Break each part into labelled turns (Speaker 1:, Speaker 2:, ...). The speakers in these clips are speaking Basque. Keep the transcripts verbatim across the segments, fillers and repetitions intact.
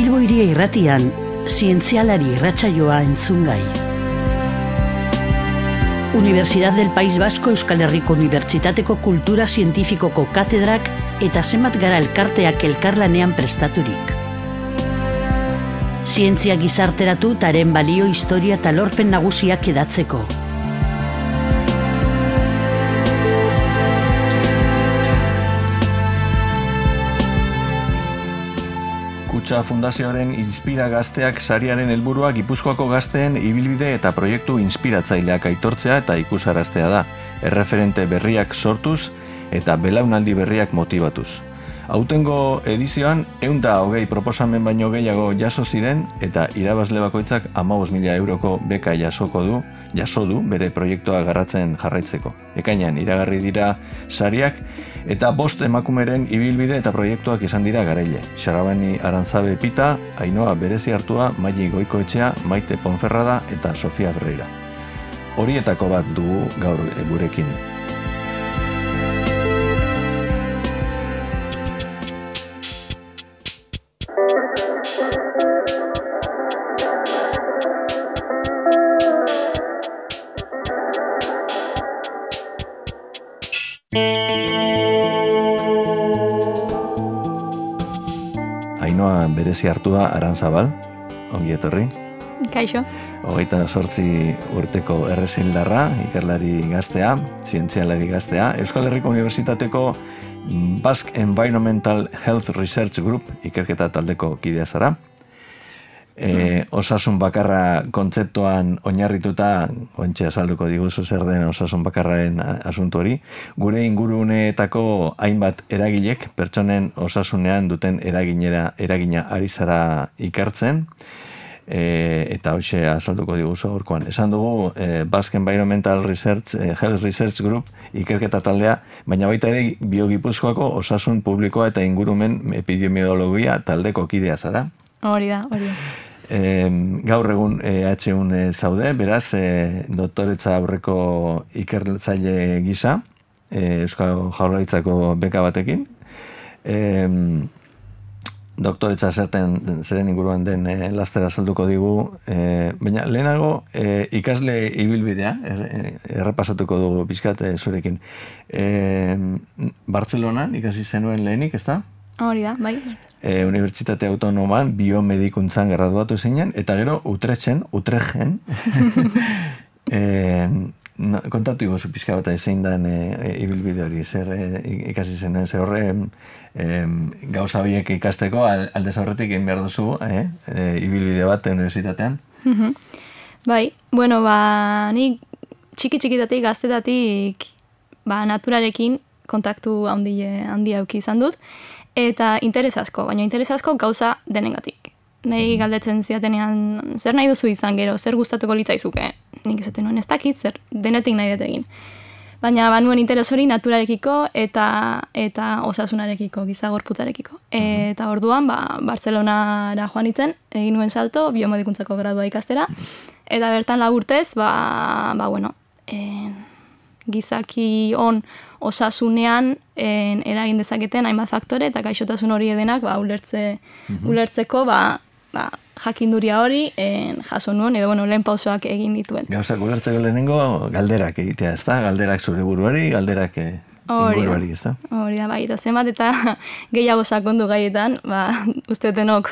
Speaker 1: Bilbo Hiria Irratian, zientzialari irratsaioa entzungai. Universidad del País Vasco Euskal Herriko Unibertsitateko Kultura Zientifikoko katedrak eta zenbat gara elkarteak elkarlanean prestaturik. Zientzia gizarteratu taren balio, historia eta lorpen nagusiak edatzeko.
Speaker 2: Kutxa Fundazioaren Inspira Gazteak sariaren helburua Gipuzkoako gazteen ibilbide eta proiektu inspiratzaileak aitortzea eta ikusaraztea da, erreferente berriak sortuz eta belaunaldi berriak motibatuz. Aurtengo edizioan ehun eta hogei proposamen baino gehiago jaso ziren eta irabazle bakoitzak hamabost mila euroko beka jasoko du, jaso du bere proiektua garratzen jarraitzeko. Ekainean iragarri dira sariak eta bost emakumeren ibilbide eta proiektuak izan dira garaile. Xarabani Arantzabe Pita, Ainhoa Berezi Hartua, Maili Goikoetxea, Maite Ponferrada eta Sofia Ferreira. Horietako bat dugu gaur gurekin. Ainhoa Berezi Hartua Arantzabal, ongi etorri.
Speaker 3: Kaixo.
Speaker 2: Hogeita zortzi urteko errezildarra, ikerlari gaztea, zientzialari gaztea, Euskal Herriko Unibertsitateko Basque Environmental Health Research Group ikerketa taldeko kidea zara. E, osasun bakarra kontzeptuan oinarrituta, ontxe azalduko diguzu zer den osasun bakarraren asuntu hori, gure inguruneetako hainbat eragilek pertsonen osasunean duten eraginera, eragina ari zara ikertzen, e, eta hoxe azalduko diguzu gaurkoan. Esan dugu e, Basque Environmental Research, e, Health Research Group ikerketa taldea, baina baita ere Biogipuzkoako osasun publikoa eta ingurumen epidemiologia taldeko kidea zara.
Speaker 3: Hori da, hori da.
Speaker 2: E, gaur egun E H un e, zaude, beraz, e, doktoretza aurreko ikertzaile gisa, e, Euskal Jaurlaritzako beka batekin. E, doktoretza zerten, zeren inguruan den e, lastera salduko digu, e, baina lehenago e, ikasle ibilbidea, er, errepasatuko dugu pixkat e, zurekin. E, Bartzelonan ikasi zenuen lehenik, ezta?
Speaker 3: Hori da, bai.
Speaker 2: E, Unibertsitate Autonoman biomedikuntzan graduatu zinen, eta gero Utrechten, Utrechten, e, no, kontatu iguzu pixka bat zein den e, e, ibilbide hori, zer e, ikasi zen, zer horre e, gauza horiek ikasteko aldez aurretik egin behar duzu, e, e, ibilbide bat unibertsitatean.
Speaker 3: Bai, bueno, ba, nik txiki-txikitatik, gaztetatik, ba, naturarekin kontaktu handi, handi auki izan dut, eta interes asko, baina interes asko gauza denengatik. Nei galdetzen ziatenean, zer nahi duzu izan gero, zer gustatuko litzaizuke? Nik esaten nuen ez dakit, zer denetik nahi dut egin. Baina banuen interes hori naturarekiko eta eta osasunarekiko, giza gorputzarekiko. Eta orduan, ba, Bartzelonara joan itzen, egin nuen salto, biomedikuntzako gradua ikastera, eta bertan laburtez, ba, ba bueno, en, gizaki on osasunean en, eragin dezaketen hainbat faktore eta gaixotasun hori edenak ba, ulertze, mm-hmm. ulertzeko ba, ba, jakinduria hori en, jaso nuen edo bueno, lehen pausoak egin dituen.
Speaker 2: Gauzak ulertzeko lehenengo galderak egitea, ez da? Galderak zure buruari, galderak eh, inguruari, ez da?
Speaker 3: Hori da, bai, eta zenbat eta gehiago sakondu gaietan, ba, uste denok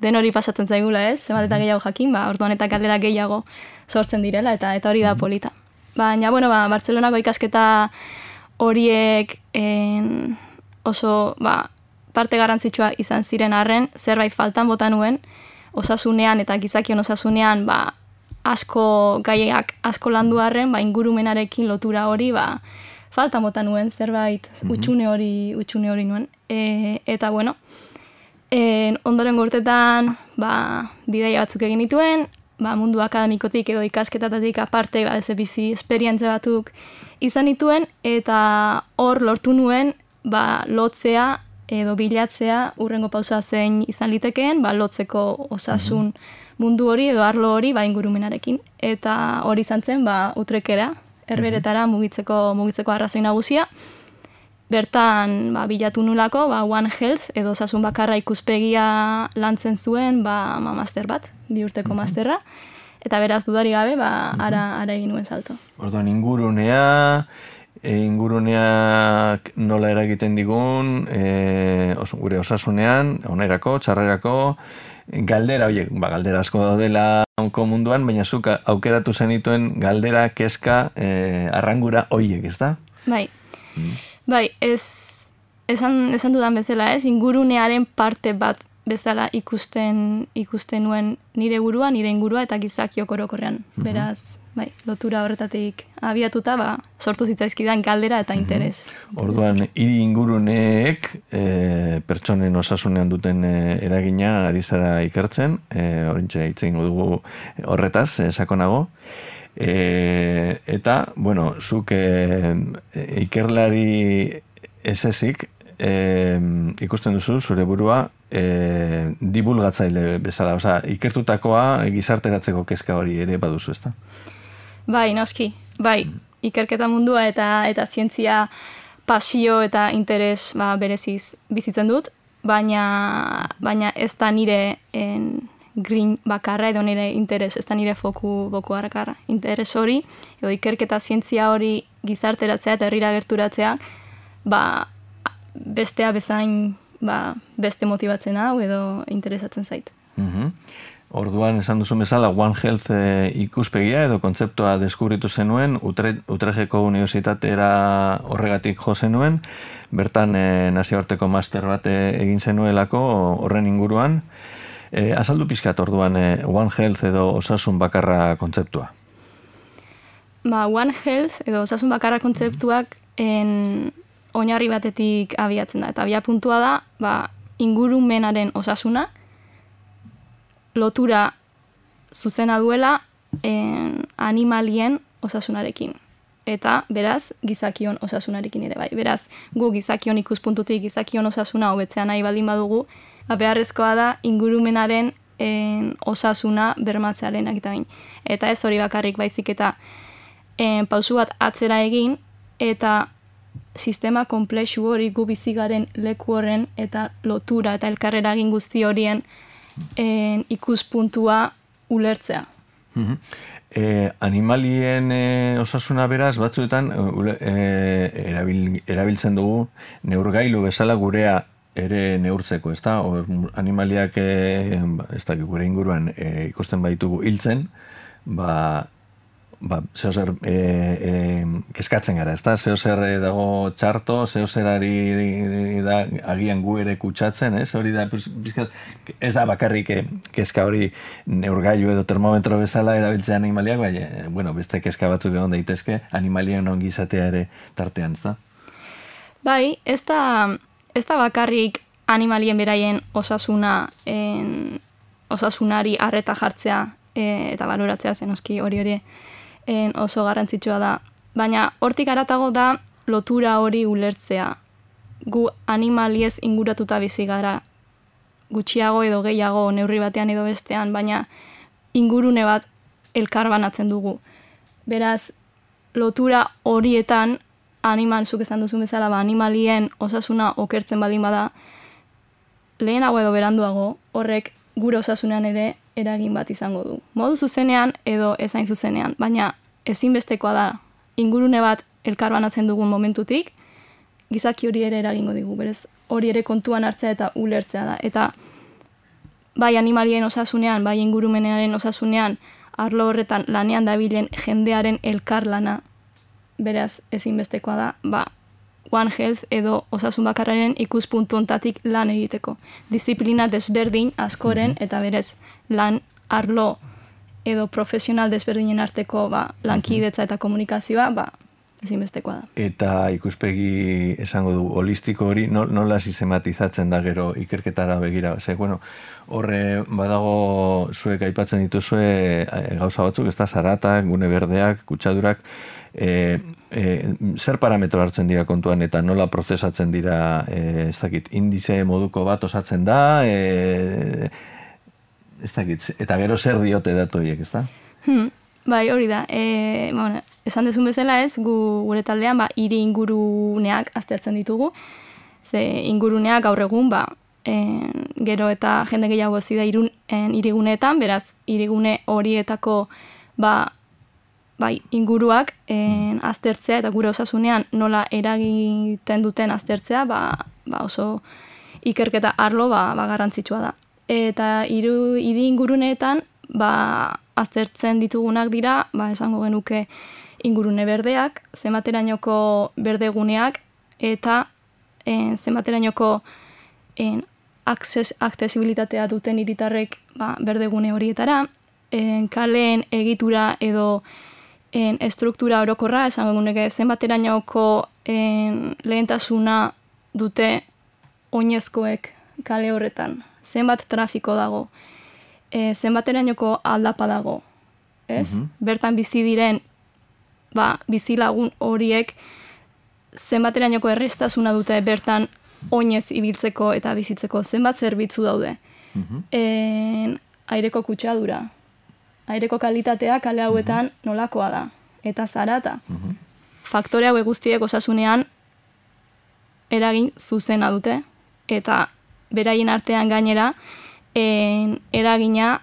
Speaker 3: den hori pasatzen zaigula, ez? Zenbat eta gehiago jakin, ba, orduan eta galderak gehiago sortzen direla, eta eta hori da mm-hmm. polita. Baina, bueno, ba, Bartzelonako ikasketa horiek en, oso ba, parte garrantzitsua izan ziren arren, zerbait faltan bota nuen, osasunean eta gizakion osasunean ba, asko gaiak asko landu arren, ba, ingurumenarekin lotura hori ba, faltan bota nuen, zerbait mm-hmm. utxune hori utxune hori nuen. E, eta bueno, en, ondoren urtetan ba, bidaia batzuk egin dituen, ba, mundu akademikotik edo ikasketatatik aparte ba, ez bizi esperientze batzuk izan dituen, eta hor lortu nuen ba, lotzea edo bilatzea urrengo pausoa zein izan litekeen, ba, lotzeko osasun mundu hori edo arlo hori ba, ingurumenarekin. Eta hori izan zen ba, Utrekera, Herberetara mugitzeko, mugitzeko arrazoi nagusia. bertan ba, bilatu nulako, ba, One Health edo osasun bakarra ikuspegia lantzen zuen ba, ma master bat, bi urteko masterra, eta beraz dudari gabe, ba, ara, ara egin nuen salto.
Speaker 2: Orduan ingurunea, e, inguruneak nola eragiten digun, e, os, gure osasunean, onerako, txarrerako, galdera, oie, ba, galdera asko daudela onko munduan, baina zuk aukeratu zenituen galdera, kezka, e, arrangura oiek, ez da?
Speaker 3: Bai, mm. bai, ez, esan, esan dudan bezala ez, ingurunearen parte bat bezala ikusten ikusten nuen nire burua, nire ingurua eta gizakiok orokorrean. Mm-hmm. Beraz, bai, lotura horretatik abiatuta, ba, sortu zitzaizkidan galdera eta interes.
Speaker 2: Mm-hmm. Orduan, hiri inguruneek e, pertsonen osasunean duten e, eragina ari zara ikertzen, e, horintxe hitz egingo dugu horretaz, e, sakonago. E, eta, bueno, zuk e, ikerlari esezik e, ikusten duzu zure burua e, divulgatzaile bezala, oza, ikertutakoa gizarteratzeko kezka hori ere baduzu, ezta?
Speaker 3: Bai, noski, bai, ikerketa mundua eta eta zientzia pasio eta interes ba, bereziz bizitzen dut, baina, baina ez da nire en, green bakarra edo nire interes, ez da nire foku boku harrakarra. Interes hori, edo ikerketa zientzia hori gizarteratzea eta herrira gerturatzea, ba, bestea bezain ba, beste motibatzen hau edo interesatzen zait.
Speaker 2: Mm-hmm. Orduan, esan duzu bezala, One Health e, ikuspegia edo kontzeptua deskubritu zenuen, Utre, Utrejeko Unibertsitatera horregatik jo zenuen, bertan e, nazioarteko master bat egin zenuelako horren inguruan. E, azaldu pizkat orduan e, One Health edo osasun bakarra kontzeptua?
Speaker 3: Ba, One Health edo osasun bakarra kontzeptuak en, oinarri batetik abiatzen da. Eta abia puntua da, ba, ingurumenaren osasuna, lotura zuzena duela en, animalien osasunarekin. Eta, beraz, gizakion osasunarekin ere bai. Beraz, gu gizakion ikuspuntutik gizakion osasuna hobetzea nahi baldin badugu, ba, beharrezkoa da ingurumenaren en, osasuna bermatzearen egitamin. Eta ez hori bakarrik baizik eta en, pausu bat atzera egin, eta sistema komplexu hori gu bizigaren leku horren eta lotura eta elkarreragin guzti horien en, ikuspuntua ulertzea.
Speaker 2: Mm-hmm. E, animalien e, osasuna beraz batzuetan e, erabil, erabiltzen dugu neurgailu bezala gurea ere neurtzeko, ezta? Or, animaliak e, ez da, gure inguruan e, ikusten baitugu hiltzen, ba, ba, zeo zer e, e, keskatzen gara, ezta? Zeo zer dago txarto, zeo zerari da agian gu ere kutsatzen, ez? Hori da, pues, bizkat, ez da bakarrik e, keska hori neurgailu edo termometro bezala erabiltzea animaliak, bai, e, bueno, beste keska batzuk egon daitezke, animalien ongi izatea ere tartean, ezta?
Speaker 3: Bai, ez da, ez da bakarrik animalien beraien osasuna en, osasunari arreta jartzea e, eta baloratzea zenoski hori hori en, oso garrantzitsua da. Baina hortik haratago da lotura hori ulertzea. Gu animaliez inguratuta bizi gara gutxiago edo gehiago neurri batean edo bestean, baina ingurune bat elkarbanatzen dugu. Beraz, lotura horietan animal, zuk esan duzun bezala, ba, animalien osasuna okertzen badin bada, lehenago edo beranduago horrek gure osasunean ere eragin bat izango du. Modu zuzenean edo ezain zuzenean, baina ezinbestekoa da ingurune bat elkarbanatzen dugun momentutik, gizaki hori ere eragingo digu, berez hori ere kontuan hartzea eta ulertzea da. Eta bai animalien osasunean, bai ingurumenearen osasunean, arlo horretan lanean dabilen jendearen elkarlana, beraz ezinbestekoa da, ba, One Health edo osasun bakarraren ikuspuntu ontatik lan egiteko. Disiplina desberdin askoren eta berez lan arlo edo profesional desberdinen arteko ba, lankidetza eta komunikazioa ba, ezinbestekoa da.
Speaker 2: Eta ikuspegi esango du holistiko hori nola sistematizatzen da gero ikerketara begira. Ze, bueno, horre badago zuek aipatzen dituzue gauza batzuk, ez da zaratak, gune berdeak, kutsadurak, E, e, zer parametro hartzen dira kontuan eta nola prozesatzen dira e, ez dakit, indize moduko bat osatzen da e, ez dakit, eta gero zer diote datu horiek, ez da?
Speaker 3: Hmm, Bai, hori da. E, bueno, esan dezun bezala ez, gu, gure taldean ba, hiri inguruneak aztertzen ditugu. Ze inguruneak gaur egun, ba, en, gero eta jende gehiago zida irun, en, iriguneetan, beraz, irigune horietako ba, bai, inguruak en, aztertzea eta gure osasunean nola eragiten duten aztertzea ba, ba oso ikerketa arlo ba, ba garrantzitsua da. Eta hiru hiri inguruneetan ba, aztertzen ditugunak dira, ba, esango genuke ingurune berdeak, zenbaterainoko berdeguneak eta en, zenbaterainoko en, aksesibilitatea duten hiritarrek ba, berdegune horietara, en, kaleen egitura edo en, estruktura orokorra, esango genuke zenbaterainoko en, lehentasuna dute oinezkoek kale horretan, zenbat trafiko dago, e, zenbaterainoko aldapa dago, ez? Mm-hmm. Bertan bizi diren ba, bizilagun horiek zenbaterainoko errestasuna dute bertan oinez ibiltzeko eta bizitzeko zenbat zerbitzu daude. Mm-hmm. En, aireko kutsadura, aireko kalitatea kale hauetan mm-hmm. nolakoa da, eta zarata. Mm-hmm. Faktore hauek guztiek osasunean eragin zuzena dute, eta beraien artean gainera en, eragina,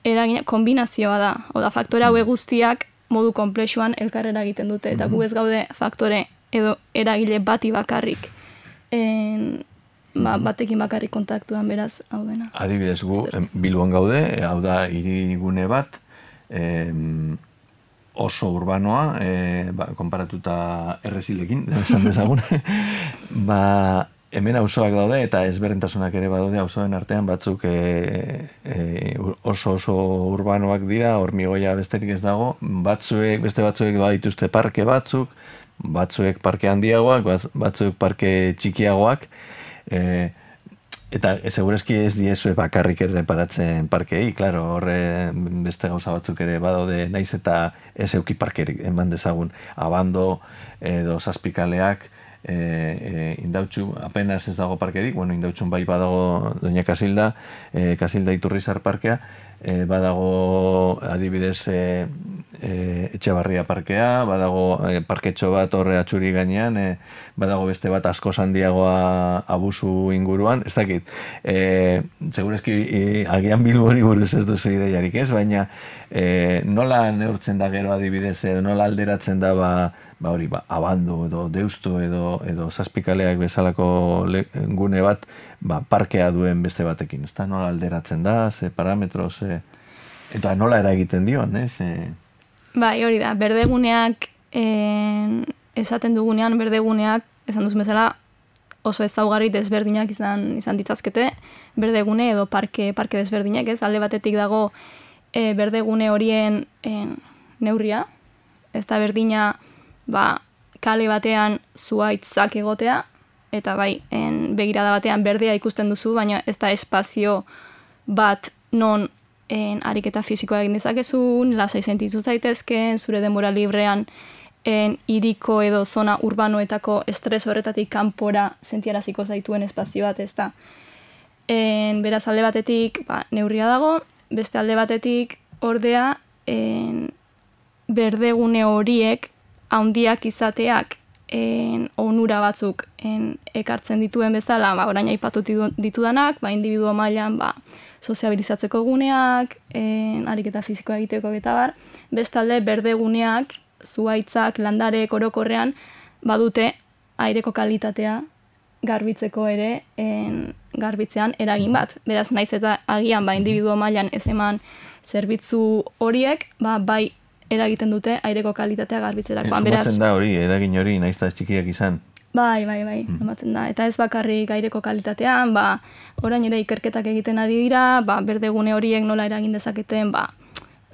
Speaker 3: eragina kombinazioa da. Oda, faktore hauek guztiak modu konplexuan elkarrera egiten dute, eta gu ez gaude faktore edo eragile bati bakarrik en, ba, batekin bakarrik kontaktuan beraz hau dena.
Speaker 2: Adibidez gu, Bilbon gaude, hau da hirigune bat, em, oso urbanoa, e, ba, konparatuta errezilekin, esan dezagun, ba, hemen auzoak daude eta ezberdintasunak ere badaude auzoen artean batzuk e, e, oso oso urbanoak dira, hormigoia besterik ez dago, batzuek, beste batzuek badituzte parke batzuk, batzuek parke handiagoak, batzuek parke txikiagoak, e, eta segurezki ez diezue bakarrik ere reparatzen parkei, claro, horre beste gauza batzuk ere badaude, naiz eta ez euki parkerik eman dezagun, abando edo zazpikaleak, E, e, indautxu, apenas ez dago parkerik, bueno, indautxun bai badago Doña Kasilda, e, Kasilda Iturrizar parkea, e, badago adibidez e, e, Etxebarria parkea, badago e, parketxo bat horre atxuri gainean, e, badago beste bat asko handiagoa abusu inguruan, ez dakit, e, segurezki e, agian Bilbori buruz ez duzu ideiarik ez, baina e, nola neurtzen da gero adibidez, edo nola alderatzen da ba, ba hori, ba, abando edo deustu edo, edo zazpikaleak bezalako le, gune bat, ba, parkea duen beste batekin, ez da, nola alderatzen da, ze parametro, ze, eta nola eragiten dion, ez? E...
Speaker 3: Bai, hori da, berdeguneak, en, esaten dugunean, berdeguneak, esan duzu bezala, oso ezaugarri desberdinak izan, izan ditzazkete, berdegune edo parke, parke desberdinak, ez, alde batetik dago e, berdegune horien en, neurria, ez da berdina, ba, kale batean zuhaitzak egotea, eta bai, en, begirada batean berdea ikusten duzu, baina ez da espazio bat non en, ariketa fisikoa egin dezakezun, lasai sentitu zaitezken, zure denbora librean en, iriko edo zona urbanoetako estres horretatik kanpora sentiaraziko zaituen espazio bat, ez da. En, beraz alde batetik ba, neurria dago, beste alde batetik ordea en, berdegune horiek handiak izateak en, onura batzuk en, ekartzen dituen bezala, ba, orain aipatu ditudanak, ba, individuo mailan ba, soziabilizatzeko guneak, en, ariketa fisikoa egiteko eta bar, bestalde berdeguneak, zuhaitzak, landarek orokorrean, badute aireko kalitatea garbitzeko ere en, garbitzean eragin bat. Beraz, naiz eta agian ba, individuo mailan ez eman zerbitzu horiek, ba, bai eragiten dute aireko kalitatea garbitzerako.
Speaker 2: Sumatzen da hori, eragin hori, naiz eta ez txikiak izan.
Speaker 3: Bai, bai, bai, sumatzen da. Eta ez bakarrik aireko kalitatean, ba, orain ere ikerketak egiten ari dira, ba, berdegune horiek nola eragin dezaketen, ba,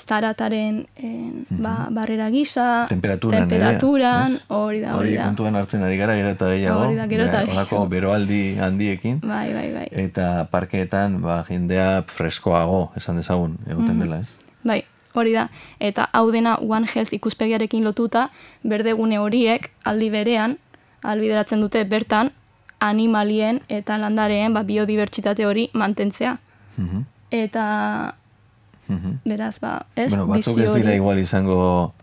Speaker 3: zarataren en, ba, barrera gisa,
Speaker 2: temperaturan,
Speaker 3: temperaturan hori da,
Speaker 2: hori
Speaker 3: da.
Speaker 2: Hori kontuan hartzen ari gara, gero eta gehiago.
Speaker 3: Hori da, gero eta gehiago.
Speaker 2: Horako beroaldi handiekin.
Speaker 3: Bai, bai, bai.
Speaker 2: Eta parkeetan, ba, jendea freskoago, esan dezagun, egoten dela, ez?
Speaker 3: Bai. Hori da, eta hau dena One Health ikuspegiarekin lotuta, berdegune horiek aldi berean, albideratzen dute bertan, animalien eta landareen ba, biodibertsitate hori mantentzea. Mm-hmm. Eta Beraz, ba, ez?
Speaker 2: Bueno, batzuk ez dira igual izango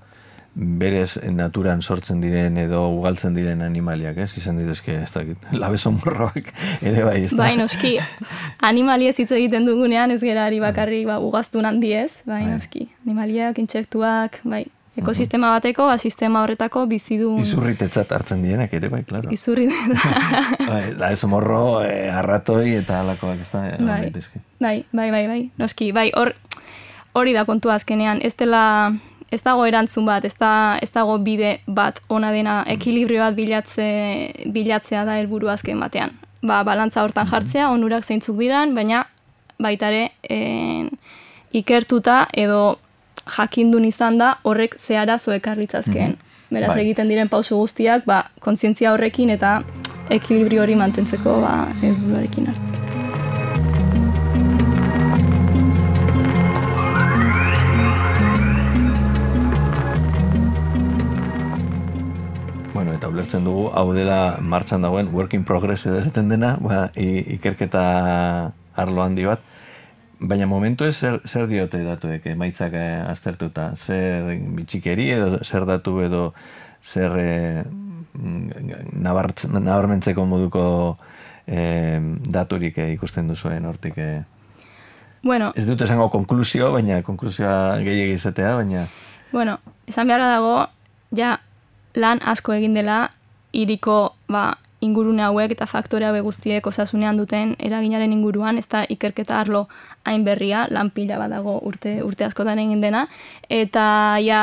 Speaker 2: berez naturan sortzen diren edo ugaltzen diren animaliak, ez? Izan ditezke, ez dakit, labeso morroak ere bai, ez da?
Speaker 3: Bai, noski, animaliez hitz egiten dugunean ez gerari bakarrik ba, ugaztun handiez, bai, noski, animaliak, intsektuak, bai, ekosistema bateko, ba, sistema horretako bizidun...
Speaker 2: Izurritetzat hartzen dienak ere, bai, klaro.
Speaker 3: Izurritetzat.
Speaker 2: Bai, labeso morro, eh, arratoi eta alakoak, ez da?
Speaker 3: Bai, bai, bai, bai, bai, noski, bai, hor, hori da kontua azkenean, ez dela... Ez dago erantzun bat, ez, da, ez dago bide bat ona dena ekilibrio bat bilatze, bilatzea da helburu azken batean. Ba, balantza hortan jartzea, onurak zeintzuk diran, baina baitare en, ikertuta edo jakindun izan da horrek ze arazo ekarlitzazkeen. Beraz
Speaker 2: Bai.
Speaker 3: egiten diren pauso guztiak ba, kontzientzia horrekin eta ekilibrio hori mantentzeko ba, helburuarekin hartu.
Speaker 2: Eta ulertzen dugu, hau dela martxan dagoen work in progress edo esaten dena, ba, ikerketa arlo handi bat. Baina momentu ez zer, zer diote datuek, emaitzak eh, aztertuta? Zer bitxikeri edo zer datu edo zer eh, nabarmentzeko moduko eh, daturik eh, ikusten duzuen hortik? Eh.
Speaker 3: Bueno,
Speaker 2: ez dut esango konklusio, baina konklusioa gehiegi izatea, baina...
Speaker 3: Bueno, esan beharra dago, ja, lan asko egin dela hiriko ba, ingurune hauek eta faktore hauek guztiek osasunean duten eraginaren inguruan, ez da ikerketa arlo hain berria, lan pila bat dago urte, urte askotan egin dena, eta ja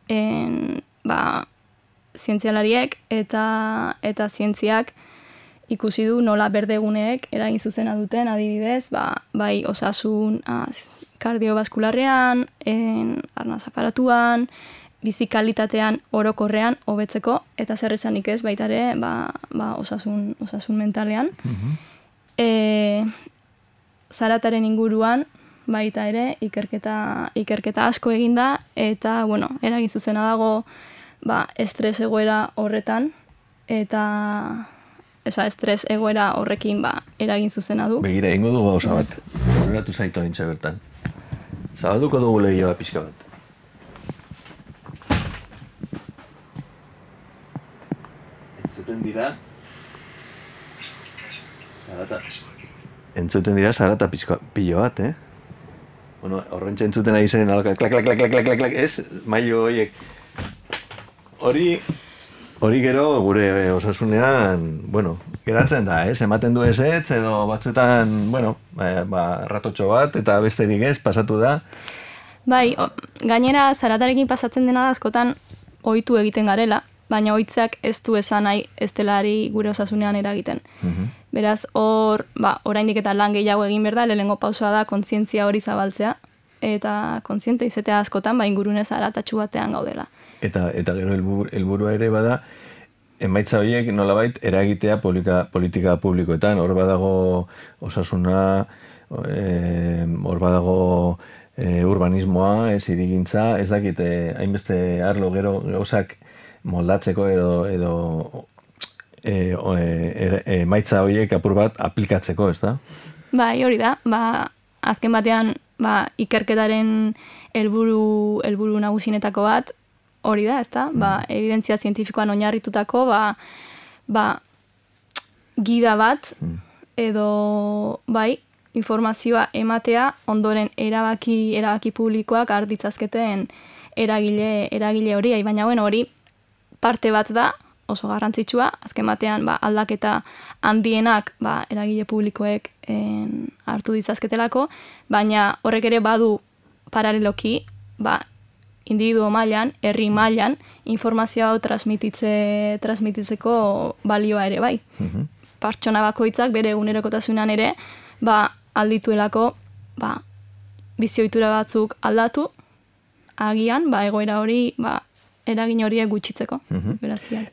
Speaker 3: en, ba, zientzialariek eta, eta zientziak ikusi du nola berdeguneek eragin zuzena duten, adibidez, ba, bai osasun az, kardiobaskularrean, en, arnaz aparatuan, bizikalitatean orokorrean hobetzeko eta zer esanik ez baita ere ba, ba osasun, osasun mentalean. Uh-huh. E, zarataren inguruan baita ere ikerketa, ikerketa asko eginda eta bueno, eragin zuzena dago ba, estres egoera horretan eta esa estres egoera horrekin ba, eragin zuzena du.
Speaker 2: Begira, ingo dugu gauza bat. Horratu zaitu dintza bertan. Zabalduko dugu lehioa pixka bat. Entzuten dira zarata entzuten dira zarata pilo bat, eh? Bueno, horrentxe entzuten ari zen alaka, klak, klak, klak, klak, klak, klak, klak, ez? Mailo horiek. Hori, hori gero gure osasunean, bueno, geratzen da, ez? Ematen du ez ez, edo batzuetan, bueno, ba, ratotxo bat, eta besterik ez, pasatu da.
Speaker 3: Bai, o, gainera zaratarekin pasatzen dena da askotan ohitu egiten garela, baina ohitzak ez du esan nahi ez delari gure osasunean eragiten. Uh-huh. Beraz, hor, ba, oraindik eta lan gehiago egin behar da, lehenengo pausoa da kontzientzia hori zabaltzea, eta kontziente izatea askotan, ba, ingurune zaratatxu batean gaudela.
Speaker 2: Eta, eta gero helburua ere bada, emaitza horiek nolabait eragitea politika, politika publikoetan, hor badago osasuna, eh, hor badago eh, urbanismoa, ez hirigintza, ez dakit, eh, hainbeste arlo gero gauzak moldatzeko edo, edo e, o, e, e, maitza horiek apur bat aplikatzeko, ez da?
Speaker 3: Bai, hori da. Ba, azken batean ba, ikerketaren helburu helburu nagusinetako bat hori da, ez da? Ba, evidentzia zientifikoan oinarritutako ba, ba, gida bat edo bai, informazioa ematea ondoren erabaki erabaki publikoak har ditzazketen eragile eragile hori, baina bueno, hori parte bat da, oso garrantzitsua, azken batean ba, aldaketa handienak ba, eragile publikoek en, hartu ditzazketelako, baina horrek ere badu paraleloki, ba, individuo mailan, herri mailan, informazio hau transmititze, transmititzeko balioa ere bai. Uh-huh. Pertsona bakoitzak bere egunerokotasunean ere, ba, aldituelako ba, bizioitura batzuk aldatu, agian, ba, egoera hori, ba, eragin horiek gutxitzeko. Uh-huh.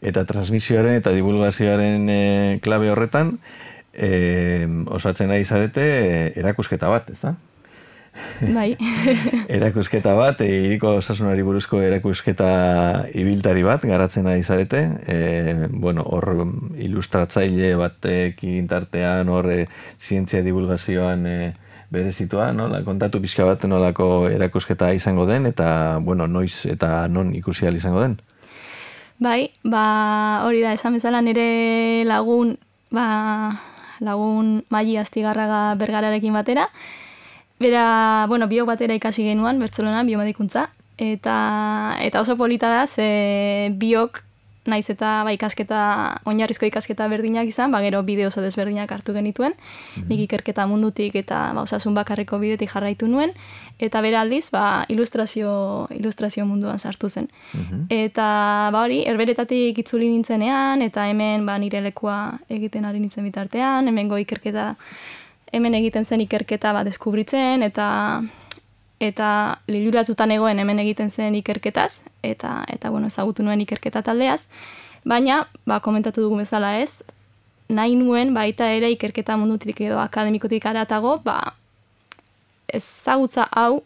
Speaker 2: Eta transmisioaren eta divulgazioaren e, klabe horretan, e, osatzen ari zarete e, erakusketa bat, ez da?
Speaker 3: Bai.
Speaker 2: Erakusketa bat, e, hiriko osasunari buruzko erakusketa ibiltari bat, garatzen ari zarete. E, bueno, hor ilustratzaile batekin tartean, hor e, zientzia divulgazioan e, berezitua, nola, kontatu pixka bat nolako erakusketa izango den, eta, bueno, noiz eta non ikusi ahal izango den?
Speaker 3: Bai, ba, hori da, esan bezala nire lagun, ba, lagun Maili Astigarraga Bergararekin batera. Bera, bueno, biok batera ikasi genuan, Bartzelonan, biomedikuntza, eta, eta oso polita da, ze biok naiz eta ba, ikasketa, oinarrizko ikasketa berdinak izan, ba, gero bide oso desberdinak hartu genituen, mm-hmm. nik ikerketa mundutik eta ba, osasun bakarreko bidetik jarraitu nuen, eta bera aldiz, ba, ilustrazio, ilustrazio munduan sartu zen. Mm-hmm. Eta ba, hori, herberetatik itzuli nintzenean, eta hemen ba, nire lekua egiten ari nintzen bitartean, hemengo ikerketa, hemen egiten zen ikerketa ba, deskubritzen, eta eta liluratutan egoen hemen egiten zen ikerketaz, eta, eta bueno, ezagutu nuen ikerketa taldeaz, baina, ba, komentatu dugu bezala ez, nahi nuen baita ere ikerketa mundutik edo akademikotik aratago, ba, ezagutza hau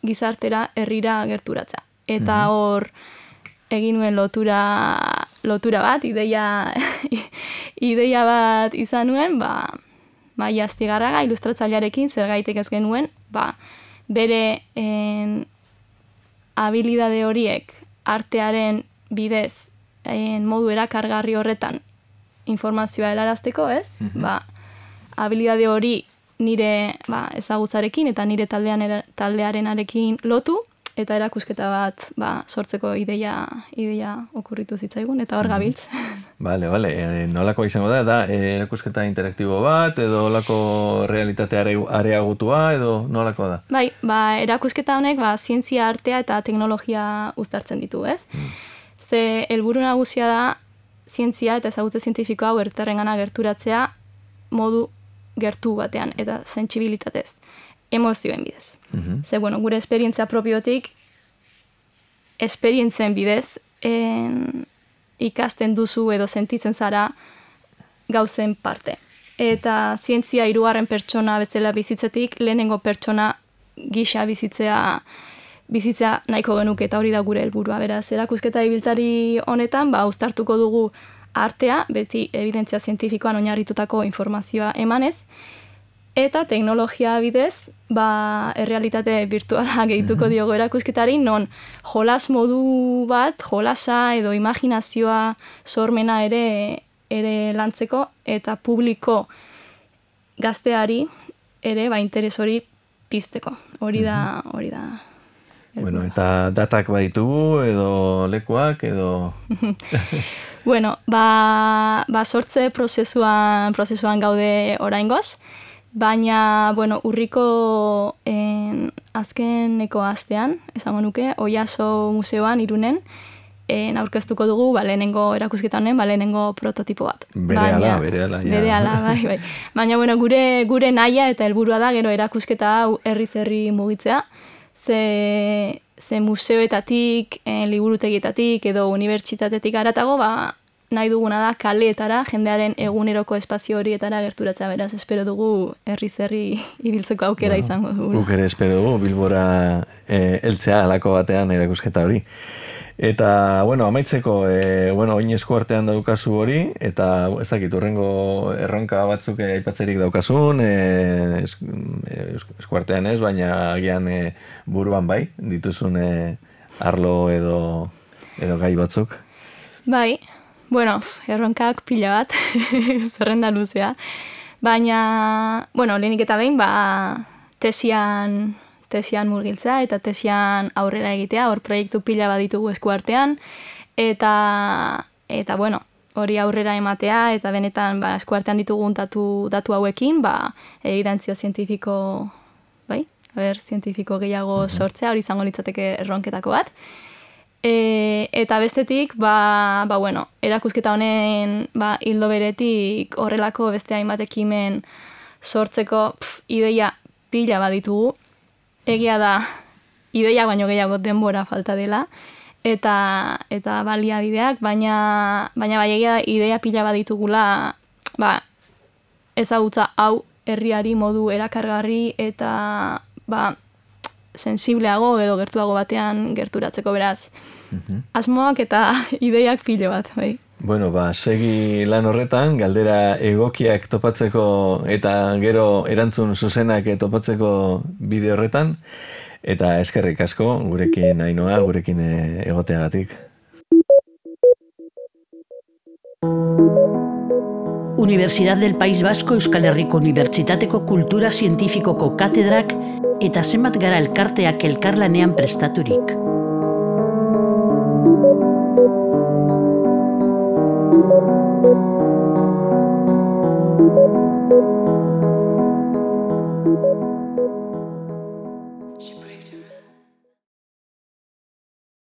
Speaker 3: gizartera herrira gerturatza. Eta hor, egin nuen lotura, lotura bat, ideia, ideia bat izan nuen, ba, Maili Astigarraga ilustratzailearekin zergaitik ez genuen, ba, bere en, habilidade horiek artearen bidez en, modu erakargarri horretan informazioa helarazteko, ez? Mm-hmm. Ba, habilidade hori nire ba, ezagutzarekin eta nire taldean era, taldearenarekin lotu, eta erakusketa bat ba, sortzeko ideia, ideia okurritu zitzaigun, eta hor gabiltz.
Speaker 2: Bale, bale, e, nolako izango da, da e, erakusketa interaktibo bat, edo nolako realitate areagutua, edo nolako da?
Speaker 3: Bai, ba, erakusketa honek ba, zientzia, artea eta teknologia uztartzen ditu, ez? Hmm. Ze helburu nagusia da zientzia eta ezagutze zientifikoa hau herritarrengana gerturatzea modu gertu batean, eta sentsibilitatez. Emozioen bidez. Mm-hmm. Ze, bueno, gure esperientzia propiotik, esperientzen bidez, en, ikasten duzu edo sentitzen zara gauzen parte. Eta zientzia hirugarren pertsona bezala bizitzetik, lehenengo pertsona gisa bizitzea, bizitzea nahiko genuke, eta hori da gure helburua. Beraz, erakusketa ibiltari honetan, ba, uztartuko dugu artea, beti evidentzia zientifikoan oinarritutako informazioa emanez, eta teknologia bidez, ba, errealitate virtuala gehituko mm-hmm. diogo erakusketari, non jolas modu bat, jolasa edo imaginazioa sormena ere, ere lantzeko, eta publiko gazteari ere ba, interes hori pizteko. Hori da, mm-hmm. hori da.
Speaker 2: Bueno, eta datak baditugu, edo lekuak, edo...
Speaker 3: bueno, ba, ba sortze prozesuan, prozesuan gaude oraingoz, baina, bueno, urriko en, azkeneko astean, esango nuke, Oiaso museoan Irunen, en, aurkeztuko dugu, ba, lehenengo erakusketa honen, ba, lehenengo prototipo bat.
Speaker 2: Berehala, berehala.
Speaker 3: Berehala, bai, bai. Baina, bueno, gure, gure nahia eta helburua da, gero erakusketa hau herriz-herri mugitzea, ze, ze museoetatik, en, liburutegietatik edo unibertsitatetik aratago, ba, nahi duguna da kaleetara, jendearen eguneroko espazio horietara gerturatzea, beraz, espero dugu herriz-herri ibiltzeko aukera bueno, izango dugu.
Speaker 2: Guk ere espero dugu, Bilbora e, eltzea alako batean erakusketa hori. Eta, bueno, amaitzeko, e, bueno, oin eskuartean daukazu hori, eta ez dakit, urrengo erronka batzuk aipatzerik daukazun, e, es, eskuartean ez, baina agian e, buruan bai, dituzun e, arlo edo, edo gai batzuk.
Speaker 3: Bai, bueno, erronkak pila bat, zerrenda luzea. Baina, bueno, lehenik eta behin, ba, tesian, tesian murgiltzea eta tesian aurrera egitea, hor proiektu pila bat ditugu eskuartean, eta, eta bueno, hori aurrera ematea, eta benetan ba, eskuartean ditugun datu, datu hauekin, ba, evidentzia zientifiko, bai, haber, zientifiko gehiago sortzea, hori izango litzateke erronketako bat. E, eta bestetik, ba, ba, bueno, erakusketa honen ba, hildo beretik horrelako beste hainbat ekimen sortzeko pf, ideia pila bat ditugu. Egia da, ideia baino gehiago denbora falta dela, eta, eta baliabideak, baina, baina bai egia da, ideia pila bat ditugula ba, ezagutza hau herriari modu erakargarri eta ba, sensibleago edo gertuago batean gerturatzeko, beraz. Mm-hmm. Asmoak eta ideiak pilo bat, bai.
Speaker 2: Bueno, ba, segi lan horretan, galdera egokiak topatzeko eta gero erantzun zuzenak topatzeko bideo horretan, eta eskerrik asko, gurekin Ainhoa, gurekin egoteagatik.
Speaker 1: Universidad del País Vasco Euskal Herriko Unibertsitateko Kultura Zientifikoko katedrak eta zenbat gara elkarteak elkarlanean prestaturik.
Speaker 4: Thank you.